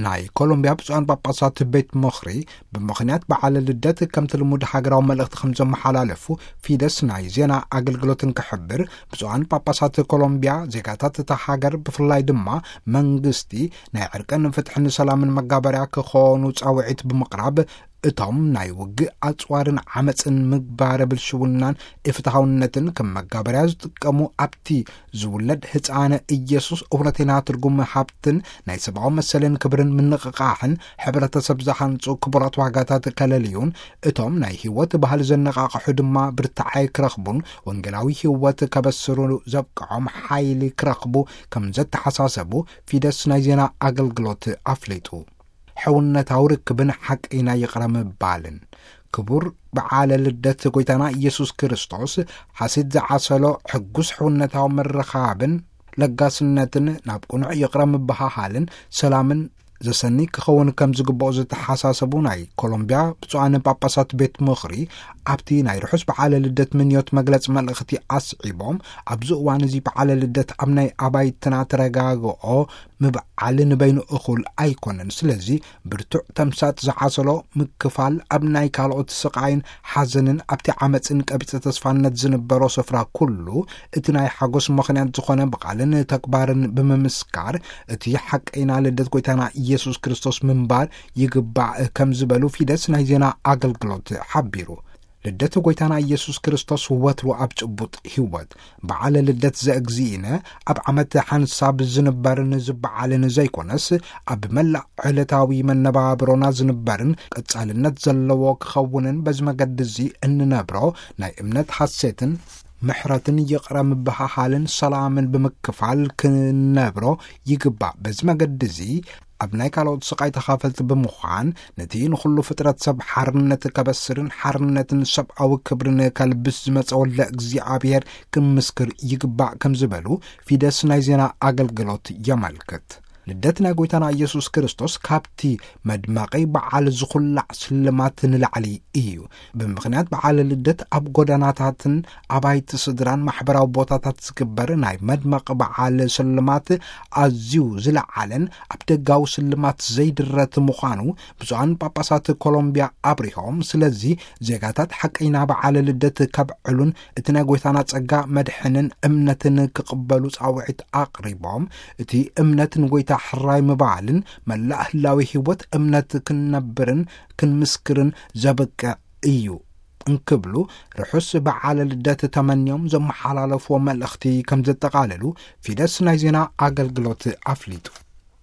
ናይ ኮሎምቢያ ብፁዓን ጳጳሳት ቤት ምኽሪ ብምኽንያት በዓለ ልደት ከምቲ ልሙድ ሃገራዊ መልእኽቲ ከም ዘመሓላለፉ ፊደስ ናይ ዜና ኣገልግሎትን ክሕብር፣ ብፁዓን ጳጳሳት ኮሎምቢያ ዜጋታት እታ ሃገር ብፍላይ ድማ መንግስቲ ናይ ዕርቅን ፍትሕን ሰላምን መጋበርያ ክኾኑ ጻውዒት ብምቕራብ፣ እቶም ናይ ውግእ ኣጽዋርን ዓመጽን ምግባረ ብልሽውናን ኢፍትሃውነትን ከም መጋበርያ ዝጥቀሙ ኣብቲ ዝውለድ ህፃነ ኢየሱስ እውነተኛ ትርጉም ሃብትን ናይ ሰብኣዊ መሰልን ክብርን ምንቕቓሕን ሕብረተሰብ ዝሃንጹ ክቡራት ዋጋታት ከለልዩን እቶም ናይ ህይወት ባህሊ ዘነቓቕሑ ድማ ብርታዓይ ክረኽቡን ወንጌላዊ ህይወት ከበስሩ ዘብቅዖም ሓይሊ ክረኽቡ ከም ዘተሓሳሰቡ ፊደስ ናይ ዜና ኣገልግሎት ኣፍሊጡ። ሕውነታዊ ርክብን ሓቀይና ይቕረ ምባልን። ክቡር በዓለ ልደት ጎይታና ኢየሱስ ክርስቶስ ሓሲት ዝዓሰሎ ሕጉስ ሕውነታዊ ምርኻብን ለጋስነትን ናብ ቅኑዕ ይቕረ ምብሃሃልን ሰላምን ዘሰኒ ክኸውን ከም ዝግብኦ ዝተሓሳሰቡ ናይ ኮሎምቢያ ብፁዓን ጳጳሳት ቤት ምኽሪ ኣብቲ ናይ ርሑስ በዓለ ልደት ምንዮት መግለጺ መልእኽቲ ኣስዒቦም፣ ኣብዚ እዋን እዚ በዓለ ልደት ኣብ ናይ ኣባይትና ተረጋግኦ ምብዓል ንበይኑ እኹል ኣይኮነን። ስለዚ ብርቱዕ ተምሳጥ ዝዓሰሎ ምክፋል ኣብ ናይ ካልኦት ስቓይን ሓዘንን ኣብቲ ዓመፅን ቀቢፀ ተስፋነት ዝንበሮ ስፍራ ኩሉ እቲ ናይ ሓጎስ ምኽንያት ዝኾነ ብቓልን ተግባርን ብምምስካር እቲ ሓቀይና ልደት ጎይታና ኢየሱስ ክርስቶስ ምንባር ይግባእ ከም ዝበሉ ፊደስ ናይ ዜና ኣገልግሎት ሓቢሩ። ልደት ጎይታና ኢየሱስ ክርስቶስ ወትሩ ኣብ ጭቡጥ ህይወት በዓለ ልደት ዘእግዚእነ ኣብ ዓመት ሓንሳብ ዝንበርን ዝበዓልን ዘይኮነስ ኣብ መላእ ዕለታዊ መነባብሮና ዝንበርን ቀጻልነት ዘለዎ ክኸውንን በዚ መገዲ እዚ እንነብሮ ናይ እምነት ሓሴትን ምሕረትን ይቕረ ምብሃሃልን ሰላምን ብምክፋል ክንነብሮ ይግባእ። በዚ መገዲ እዚ ኣብ ናይ ካልኦት ስቓይ ተኻፈልቲ ብምዃን ነቲ ንኹሉ ፍጥረት ሰብ ሓርነት ከበስርን ሓርነትን ሰብኣዊ ክብርን ከልብስ ዝመጸ ወልደ እግዚኣብሔር ክንምስክር ይግባእ ከም ዝበሉ ፊደስ ናይ ዜና ኣገልግሎት የመልክት። ልደት ናይ ጎይታና ኢየሱስ ክርስቶስ ካብቲ መድመቒ በዓል ዝኹላዕ ስልማት ንላዕሊ እዩ። ብምኽንያት በዓል ልደት ኣብ ጎዳናታትን ኣባይቲ ስድራን ማሕበራዊ ቦታታት ዝግበር ናይ መድመቕ በዓል ስልማት ኣዝዩ ዝለዓለን ኣብ ደጋዊ ስልማት ዘይድረት ምዃኑ ብፁዓን ጳጳሳት ኮሎምቢያ ኣብሪሆም፣ ስለዚ ዜጋታት ሓቀይና በዓል ልደት ከብዕሉን እቲ ናይ ጎይታና ጸጋ መድሕንን እምነትን ክቕበሉ ጻውዒት ኣቕሪቦም፣ እቲ እምነት ንጎይታ ሕራይ ምባልን መላእ ህላዊ ህይወት እምነት ክንነብርን ክንምስክርን ዘብቅዕ እዩ እንክብሉ ርሑስ በዓለ ልደት ተመንዮም ዘመሓላለፍዎ መልእኽቲ ከም ዘጠቓለሉ ፊደስ ናይ ዜና ኣገልግሎት ኣፍሊጡ።